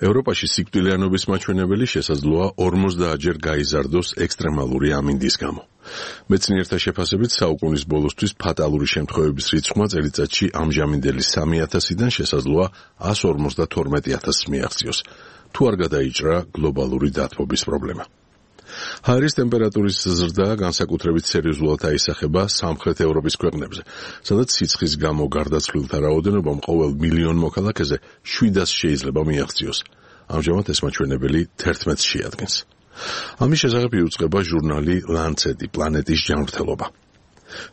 ევროპაში სიკვდილიანობის მაჩვენებელი შესაძლოა 50-ჯერ გაიზარდოს ექსტრემალური ამინდის გამო. მეცნიერთა შეფასებით საუკუნის ბოლოსთვის ფატალური შემთხვევების რიცხვმა წელიწადში ამჟამინდელი 3000-დან შესაძლოა 152,000 მიაღწიოს, თუ არ გადაიჭრა გლობალური დათბობის პრობლემა. ჰაერის ტემპერატურის ზრდა განსაკუთრებით სერიოზულად აისახება სამხრეთ ევროპის ქვეყნებზე, სადაც სიცხის გამო გარდაცვლილთა რაოდენობამ ყოველ მილიონ მოქალაქეზე 700 შეიძლება მიაღწიოს. ამჟამად ეს მაჩვენებელი 11-ს შეადგენს. ამის შესახებ იუწყება ჟურნალი ლანცეტი პლანეტის ჯანმრთელობა.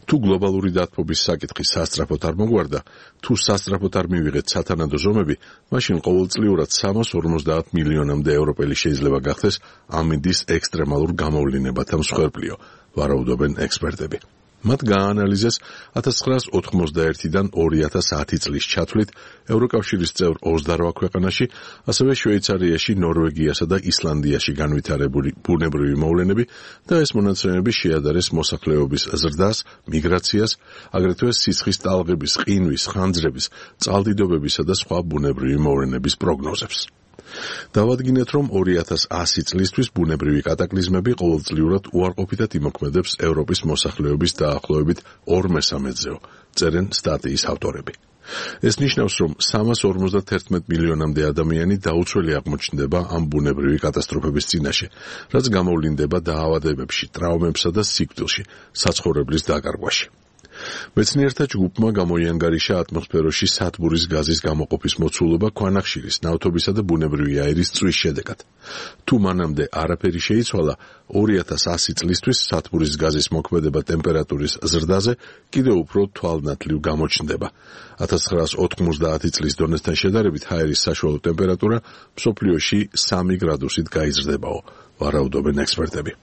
თუ გლობალური დათბობის საკითხი სასწრაფოდ არ მოგვარდა, თუ სასწრაფოდ არ მივიღეთ სათანადო ზომები, მაშინ ყოველწლიურად 350 მილიონამდე ევროპელი შეიძლება გახდეს ამინდის ექსტრემალურ გამოვლინებათა მსხვერპლიო, ვარაუდობენ ექსპერტები. მათ გააანალიზეს 1991-დან 2010 წლის ჩათვლით ევროკავშირის წევრ 28 ქვეყანაში, ასევე შვეიცარიაში, ნორვეგიასა და ისლანდიაში განვითარებული ბუნებრივი მოვლენები და ეს მონაცემები შეადარეს მოსახლეობის ზრდას, მიგრაციას, აგრეთვე სიცხის ტალღების, ყინვის, ხანძრების, წყალდიდობებისა და სხვა ბუნებრივი მოვლენების პროგნოზებს. დავადგინეთ, რომ 2100 წლისთვის ბუნებრივი კატაკლიზმები ყოველწლიურად უარყოფითად იმოქმედებს ევროპის მოსახლეობის დაახლოებით 2/3-ზეო, წერენ სტატიის ავტორები. ეს ნიშნავს, რომ 351 მილიონამდე ადამიანი დაუცველი აღმოჩნდება ამ ბუნებრივი კატასტროფების წინაშე, რაც გამოვლინდება დაავადებებში, ტრავმებსა და სიკვდილში, საცხოვრებლის დაკარგვაში. მეცნიერთა ჯგუფმა გამოიანგარიშა ატმოსფეროში სათბურის გაზის გამოყოფის მოცულობა ქვანახშირის, ნავთობისა და ბუნებრივი აირის წვის შედეგად. თუ მანამდე არაფერი შეიცვალა, 2100 წლისთვის სათბურის გაზის მოქმედება ტემპერატურის ზრდაზე კიდევ უფრო თვალნათლივ გამოჩნდება. 1990 წლის დონესთან შედარებით ჰაერის საშუალო ტემპერატურა მსოფლიოში 3 გრადუსით გაიზრდებაო, ვარაუდობენ ექსპერტები.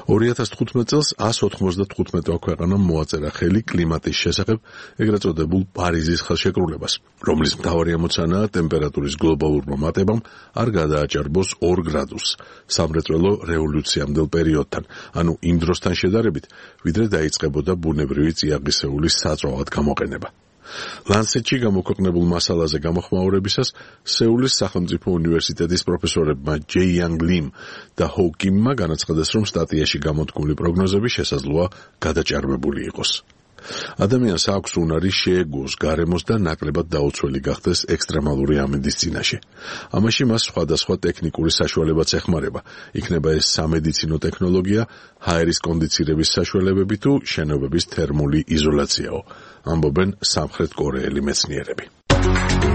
2015 წელს 195 ქვეყანამ მოაწერა ხელი კლიმატის შესახებ ეგრეთ წოდებულ პარიზის ხელშეკრულებას, რომლის მთავარი ამოცანაა ტემპერატურის გლობალურმა მატებამ არ გადააჭარბოს 2 გრადუსს სამრეწველო რევოლუციამდელ პერიოდთან, ანუ იმ დროსთან შედარებით, ვიდრე დაიწყებოდა ბუნებრივი წიაღისეულის საწვავად გამოყენება. ლანცეტში გამოქვეყნებულ მასალაზე გამოხმაურებისას სეულის სახელმწიფო უნივერსიტეტის პროფესორებმა ჯეი იანგ ლიმ და ჰო კიმმა განაცხადეს, რომ სტატიაში გამოთქმული პროგნოზები შესაძლოა გადაჭარბებული იყოს. ადამიანს აქვს უნარი შეეგუოს გარემოს და ნაკლებად დაუცველი გახდეს ექსტრემალური ამინდის წინაშე. ამაში მას სხვადასხვა ტექნიკური საშუალებაც ეხმარება, იქნება ეს სამედიცინო ტექნოლოგია, ჰაერის კონდიცირების საშუალებები თუ შენობების თერმული იზოლაციაო, ამბობენ სამხრეთ კორეელი მეცნიერები.